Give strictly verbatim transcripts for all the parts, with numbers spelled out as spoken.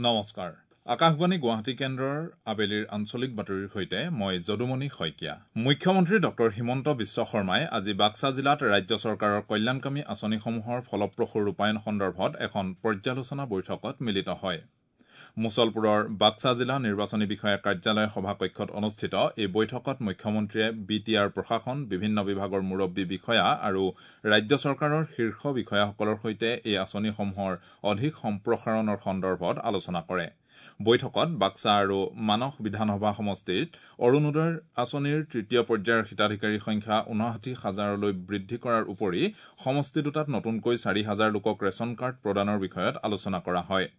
নমস্কাৰ, আকাশবাণী গুৱাহাটী কেন্দ্ৰৰ আবেলিৰ আঞ্চলিক বাতৰিৰ সৈতে মই যদুমণি শইকীয়া। মুখ্যমন্ত্ৰী ডক্টৰ হিমন্ত বিশ্ব শৰ্মাই আজি বাক্সা জিলাত ৰাজ্য চৰকাৰৰ কল্যাণকামী আঁচনিসমূহৰ ফলপ্ৰসূ ৰূপায়ণ সন্দৰ্ভত এখন পৰ্যালোচনা বৈঠকত মিলিত হয়। মুছলপুৰৰ বাক্সা জিলা নিৰ্বাচনী বিষয়াৰ কাৰ্যালয় সভাকক্ষত অনুষ্ঠিত এই বৈঠকত মুখ্যমন্ত্ৰীয়ে বি টি আৰ প্ৰশাসন, বিভিন্ন বিভাগৰ মুৰব্বী বিষয়া আৰু ৰাজ্য চৰকাৰৰ শীৰ্ষ বিষয়াসকলৰ সৈতে এই আঁচনিসমূহৰ অধিক সম্প্ৰসাৰণৰ সন্দৰ্ভত আলোচনা কৰে। বৈঠকত বাক্সা আৰু মানস বিধানসভা সমষ্টিত অৰুণোদয় আঁচনিৰ তৃতীয় পৰ্যায়ৰ হিতাধিকাৰীৰ সংখ্যা ঊনষাঠি হাজাৰলৈ বৃদ্ধি কৰাৰ উপৰি সমষ্টি দুটাত নতুনকৈ চাৰি হাজাৰ লোকক ৰেচন কাৰ্ড প্ৰদানৰ বিষয়ত আলোচনা কৰা হয়।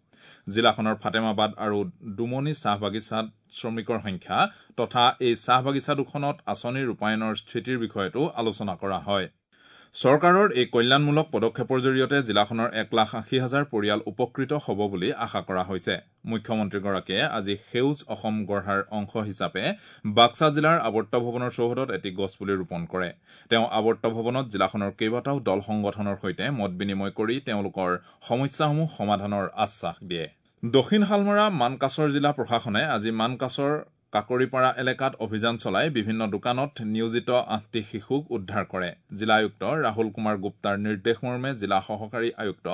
জিলাখনৰ ফাটেমাবাদ আৰু ডুমনি চাহ বাগিচাত শ্ৰমিকৰ সংখ্যা তথা এই চাহ বাগিচা দুখনত আঁচনি ৰূপায়ণৰ স্থিতিৰ বিষয়তো আলোচনা কৰা হয়। চৰকাৰৰ এই কল্যাণমূলক পদক্ষেপৰ জৰিয়তে জিলাখনৰ এক লাখ আশী হাজাৰ পৰিয়াল উপকৃত হ'ব বুলি আশা কৰা হৈছে। মুখ্যমন্ত্ৰীগৰাকীয়ে আজি সেউজ অসম গঢ়াৰ অংশ হিচাপে বাক্সা জিলাৰ আৱৰ্ত ভৱনৰ চৌহদত এটি গছপুলি ৰোপণ কৰে। তেওঁ আৱৰ্ত ভৱনত জিলাখনৰ কেইবাটাও দল সংগঠনৰ সৈতে মত বিনিময় কৰি তেওঁলোকৰ সমস্যাসমূহ সমাধানৰ আশ্বাস দিয়ে। দক্ষিণ শালমৰা মানকাচৰ জিলা প্ৰশাসনে আজি মানকাচৰ কাকৰিপাৰা এলেকাত অভিযান চলাই বিভিন্ন দোকানত নিয়োজিত আঠটি শিশুক উদ্ধাৰ কৰে। জিলা আয়ুক্ত ৰাহুল কুমাৰ গুপ্তাৰ নিৰ্দেশ মৰ্মে জিলা সহকাৰী আয়ুক্ত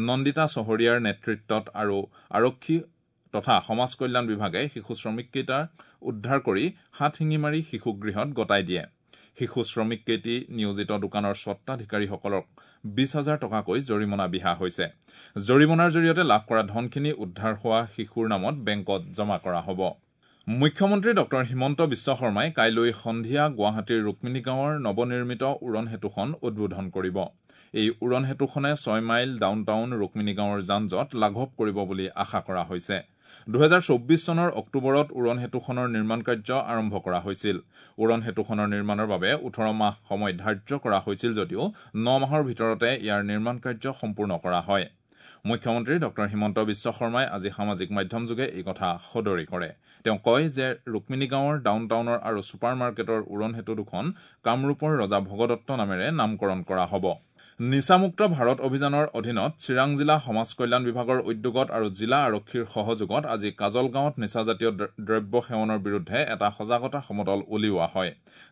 নন্দিতা চহৰীয়াৰ নেতৃত্বত আৰু আৰক্ষী তথা সমাজ কল্যাণ বিভাগে শিশু শ্ৰমিককেইটা উদ্ধাৰ কৰি হাতশিঙিমাৰী শিশুগৃহত গতাই দিয়ে। শিশু শ্ৰমিককেইটি নিয়োজিত দোকানৰ স্বত্বাধিকাৰীসকলক বিশ হাজাৰ টকাকৈ জৰিমনা বিহা হৈছে। জৰিমনাৰ জৰিয়তে লাভ কৰা ধনখিনি উদ্ধাৰ হোৱা শিশুৰ নামত বেংকত জমা কৰা হ'ব। মুখ্যমন্ত্ৰী ডক্টৰ হিমন্ত বিশ্ব শৰ্মাই কাইলৈ সন্ধিয়া গুৱাহাটীৰ ৰুক্মিণীগাঁৱৰ নৱনিৰ্মিত উৰণ সেতুখন উদ্বোধন কৰিব। এই উৰণ সেতুখনে ছয় মাইল ডাউন টাউন ৰুক্মিণীগাঁৱৰ যান জঁট লাঘৱ কৰিব বুলি আশা কৰা হৈছে। দুহেজাৰ চৌব্বিছ চনৰ অক্টোবৰত উৰণ সেতুখনৰ নিৰ্মাণ কাৰ্য আৰম্ভ কৰা হৈছিল। উৰণ সেতুখনৰ নিৰ্মাণৰ বাবে ওঠৰ মাহ সময় ধাৰ্য কৰা হৈছিল যদিও ন মাহৰ ভিতৰতে ইয়াৰ নিৰ্মাণ কাৰ্য সম্পূৰ্ণ কৰা হয়। মুখ্যমন্ত্ৰী ডক্টৰ হিমন্ত বিশ্ব শৰ্মাই আজি সামাজিক মাধ্যমযোগে এই কথা সদৰি কৰে। তেওঁ কয় যে ৰুক্মিণীগাঁৱৰ ডাউন টাউনৰ আৰু ছুপাৰ মাৰ্কেটৰ উৰণ সেতু দুখন কামৰূপৰ ৰজা ভগদত্ত নামেৰে নামকৰণ কৰা হ'ব। নিচামুক্ত ভাৰত অভিযানৰ অধীনত চিৰাং জিলা সমাজ কল্যাণ বিভাগৰ উদ্যোগত আৰু জিলা আৰক্ষীৰ সহযোগত আজি কাজলগাঁৱত নিচাজাতীয় দ্ৰব্য সেৱনৰ বিৰুদ্ধে এটা সজাগতা সমদল উলিওৱা হয়।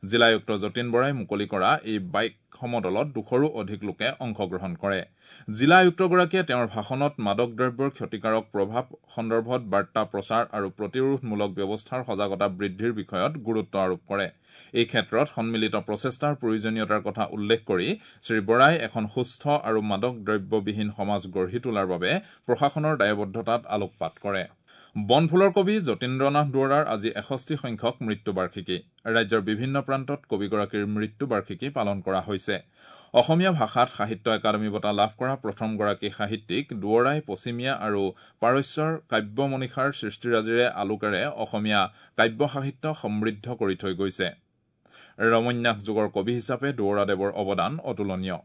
জিলা আয়ুক্ত যতীন বৰাই মুকলি কৰা এই বাইক সমদলত দুশৰো অধিক লোকে অংশগ্ৰহণ কৰে। জিলা আয়ুক্তগৰাকীয়ে তেওঁৰ ভাষণত মাদক দ্ৰব্যৰ ক্ষতিকাৰক প্ৰভাৱ সন্দৰ্ভত বাৰ্তা প্ৰচাৰ আৰু প্ৰতিৰোধমূলক ব্যৱস্থাৰ সজাগতা বৃদ্ধিৰ বিষয়ত গুৰুত্ব আৰোপ কৰে। এই ক্ষেত্ৰত সন্মিলিত প্ৰচেষ্টাৰ প্ৰয়োজনীয়তাৰ কথা উল্লেখ কৰি শ্ৰী বৰাই এখন সুস্থ আৰু মাদক দ্ৰব্যবিহীন সমাজ গঢ়ি তোলাৰ বাবে প্ৰশাসনৰ দায়বদ্ধতাত আলোকপাত কৰে। বনফুলৰ কবি যতীন্দ্ৰনাথ দুৱৰাৰ আজি এষষ্ঠি সংখ্যক মৃত্যুবাৰ্ষিকী। ৰাজ্যৰ বিভিন্ন প্ৰান্তত কবিগৰাকীৰ মৃত্যুবাৰ্ষিকী পালন কৰা হৈছে। অসমীয়া ভাষাত সাহিত্য একাডেমী বঁটা লাভ কৰা প্ৰথমগৰাকী সাহিত্যিক দুৱৰাই পশ্চিমীয়া আৰু পাৰস্যৰ কাব্য মনীষাৰ সৃষ্টিৰাজিৰে আলোকেৰে অসমীয়া কাব্য সাহিত্য সমৃদ্ধ কৰি থৈ গৈছে। ৰমন্যাস যুগৰ কবি হিচাপে দুৱৰাদেৱৰ অৱদান অতুলনীয়।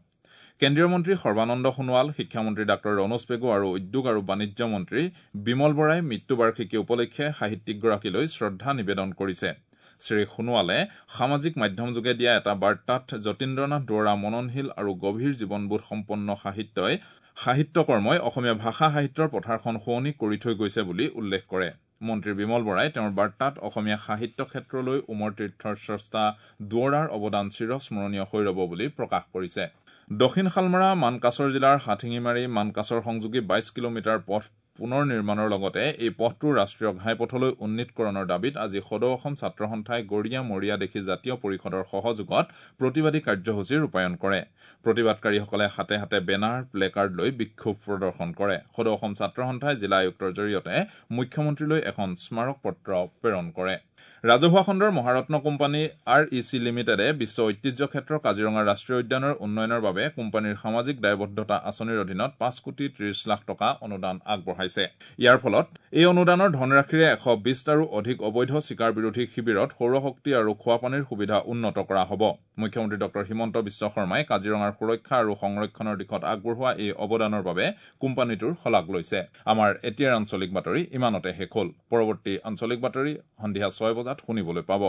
কেন্দ্ৰীয় মন্ত্ৰী সৰ্বানন্দ সোণোৱাল, শিক্ষামন্ত্ৰী ডাঃ ৰণোজ পেগু আৰু উদ্যোগ আৰু বাণিজ্য মন্ত্ৰী বিমল বৰাই মৃত্যুবাৰ্ষিকী উপলক্ষে সাহিত্যিকগৰাকীলৈ শ্ৰদ্ধা নিবেদন কৰিছে। শ্ৰী সোণোৱালে সামাজিক মাধ্যমযোগে দিয়া এটা বাৰ্তাত যতীন্দ্ৰনাথ দুৱৰা মননশীল আৰু গভীৰ জীৱনবোধ সম্পন্ন সাহিত্যই সাহিত্যকৰ্মই অসমীয়া ভাষা সাহিত্যৰ পথাৰখন শুৱনি কৰি থৈ গৈছে বুলি উল্লেখ কৰে। মন্ত্ৰী বিমল বৰাই তেওঁৰ বাৰ্তাত অসমীয়া সাহিত্য ক্ষেত্ৰলৈ উমৰ তীৰ্থৰ স্ৰষ্টা দুৱৰাৰ অৱদান চিৰস্মৰণীয় হৈ ৰব বুলি প্ৰকাশ কৰিছে। দক্ষিণ শালমৰা মানকাচৰ জিলাৰ হাতশিঙিমাৰী মানকাচৰ সংযোগী বাইছ কিলোমিটাৰ পথ পুনৰ নিৰ্মাণৰ লগতে এই পথটো ৰাষ্ট্ৰীয় ঘাইপথলৈ উন্নীতকৰণৰ দাবীত আজি সদৌ অসম ছাত্ৰ সন্থাই গৰীয়া মৰীয়া দেশী জাতীয় পৰিষদৰ সহযোগত প্ৰতিবাদী কাৰ্যসূচী ৰূপায়ণ কৰে। প্ৰতিবাদকাৰীসকলে হাতে হাতে বেনাৰ, প্লেকাৰ্ড লৈ বিক্ষোভ প্ৰদৰ্শন কৰে। সদৌ অসম ছাত্ৰ সন্থাই জিলা আয়ুক্তৰ জৰিয়তে মুখ্যমন্ত্ৰীলৈ এখন স্মাৰক পত্ৰ প্ৰেৰণ কৰে। ৰাজহুৱা খণ্ডৰ মহাৰত্ন কোম্পানী আৰ ই চি লিমিটেডে বিশ্ব ঐতিহ্য ক্ষেত্ৰ কাজিৰঙা ৰাষ্ট্ৰীয় উদ্যানৰ উন্নয়নৰ বাবে কোম্পানীৰ সামাজিক দায়বদ্ধতা আঁচনিৰ অধীনত পাঁচ কোটি ত্ৰিশ লাখ টকা অনুদান আগবঢ়াইছে। ইয়াৰ ফলত এই অনুদানৰ ধনৰাশিৰে এশ বিশটাৰো অধিক অবৈধ চিকাৰ বিৰোধী শিবিৰত সৌৰশক্তি আৰু খোৱাপানীৰ সুবিধা উন্নত কৰা হ'ব। মুখ্যমন্ত্ৰী ডক্টৰ হিমন্ত বিশ্ব শৰ্মাই কাজিৰঙাৰ সুৰক্ষা আৰু সংৰক্ষণৰ দিশত আগবঢ়োৱা এই অৱদানৰ বাবে কোম্পানীটোৰ শলাগ লৈছে। আমাৰ এতিয়াৰ আঞ্চলিক বাতৰি ইমানতে শেষ হ'ল। পৰৱৰ্তী আঞ্চলিক বাতৰি সন্ধিয়া ছয় বজাত শুনিবলৈ পাব।